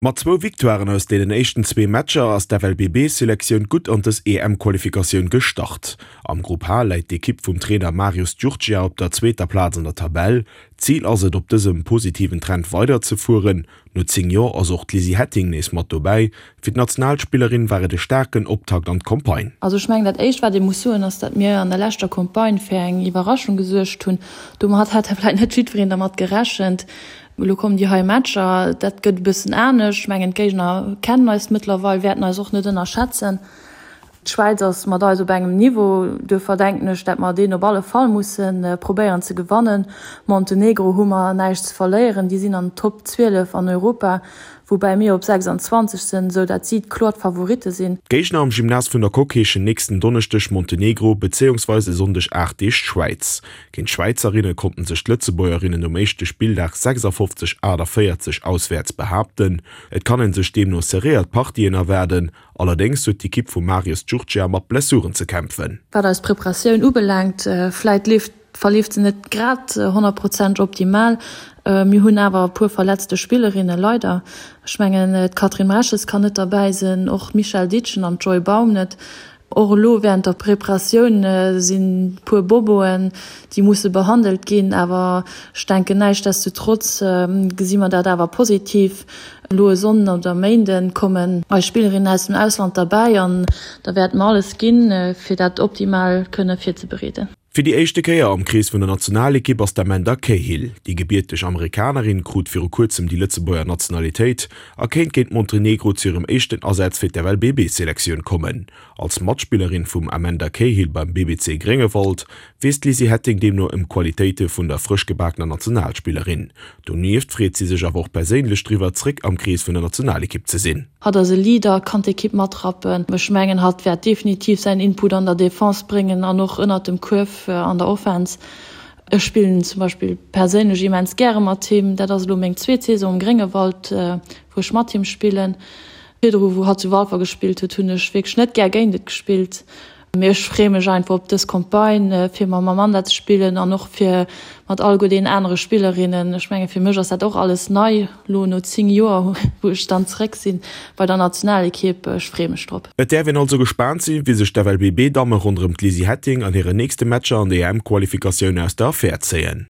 Mat zwou Victoiren aus deenen éischten zwee Matcher ass d'FLBB-Selektioun gutt an dës EM-Qualifikatioun gestart. Am Grupp H läit d'Ekipp vum Trainer Marius Giurgia op der zweeter Plaz an der Tabell. Zil ass et, op dësem positiven Trend weiderzefueren. No 10 Joer ass och d'Lizzy Hetting nees mat dobäi. Fir d'Nationalspillerin war et e staarken Optakt an d'Campagne. Also ech mengen, dat éischt wat ee muss soen, ass, datt mir an der leschter Campagne fir eng Iwwerraschung gesuergt hunn. Domat hat vläicht net jiddwereen dermat gerechent. Elo kommen déi hei Matcher, dat gëtt e bëssen anescht. Ech mengen, d'Géigner kennen eis mëttlerweil, wäerten eis och net ënnerschätzen. D'Schwäiz ass mat eis op engem Niveau, duerfir denken ech, dat mer deen op alle Fall musse probéieren ze gewannen. Montenegro hu mer näischt ze verléieren, déi sinn an den Top 12 an Europa, woubäi mir op 26 sinn, esou dat si kloer d'Favoritte sinn. D'Géigner am Gymnase vun der Coque heeschen nächsten Donneschdeg Montenegro bezéiungsweis e Sonndeg 8 Deeg d'Schwäiz. Géint d'Schwäizerinne konnten sech d'Lëtzebuergerinnen um éischte Spilldag 56, 48 auswäerts behaapten. Et kann een sech deemno serréiert Partien erwaarden, allerdéngs huet d'Ekipp vum Marius Giurgea mat Blessuren ze kämpfen. Wat eis Preparatioun ubelaangt, vläit leeft verleeft se net grad 100 Prozent optimal. Mir hunn awer e puer verletzte Spillerinne leider. Ech mengen d'Catherine Mreches kann net derbäi sinn, och d'Michèle Ditschen an d'Joy Baum net. Och elo während der Preparatioun sinn puer Boboen, déi musse behandelt ginn, awer ech denken näischtdestotrotz gesi mer dat awer positiv. Elo e Sonnden oder Méinden kommen eis Spillerinnen aus dem Ausland derbäi an da wäerte mer alles ginn, fir dat optimal kënne virzebereeden. Fir déi éischte Kéier am Krees vun der Nationalekipp ass d'Amanda Cahill. Déi gebierteg Amerikanerin krut viru kuerzem déi Lëtzebuerger Nationalitéit a kéint géint Montenegro zu hirem éischten Asaz fir d'FLBB-Selektioun kommen. Als Matspillerin vum Amanda Cahill beim BBC Gréngewald weess d'Lizzy Hetting deemno ëm d'Qualitéite vun der frësch gebakener Nationalspillerin. Donieft freet si sech awer och perséinlech driwwer, zréck am Krees vun der Nationalekipp ze sinn. Hatt ass e Leader, kann d'Ekipp matrappen. Ech mengen, hatt wäert definitiv säin Input an der Defense bréngen an och ënnert dem Kuerf an der Offense. Ech spillen zum Beispill perséinlech immens gäre mat him. Dat ass elo meng zweet Saison um Gréngewald, wou ech mat him spillen. Virdru, wou hatt zu Walfer gespillt huet, hunn ech wierklech net gär géint et gespillt. Mee ech freeë mech einfach op dës Campagne, fir mam Amanda ze spillen an och fir mat alleguer deenen anere Spillerinnen. Ech menge fir mech ass dat och alles nei, elo no 10 Joer, wou ech dann zeréck si bei der Nationalekipp. Ech freeë mech drop. Et däerf een also gespaant sinn, wéi sech d'FLBB-Damme ronderëm d'Lizzy Hetting an hiren nächste Matcher an der EM-Qualifikatioun aus der Affär zéien.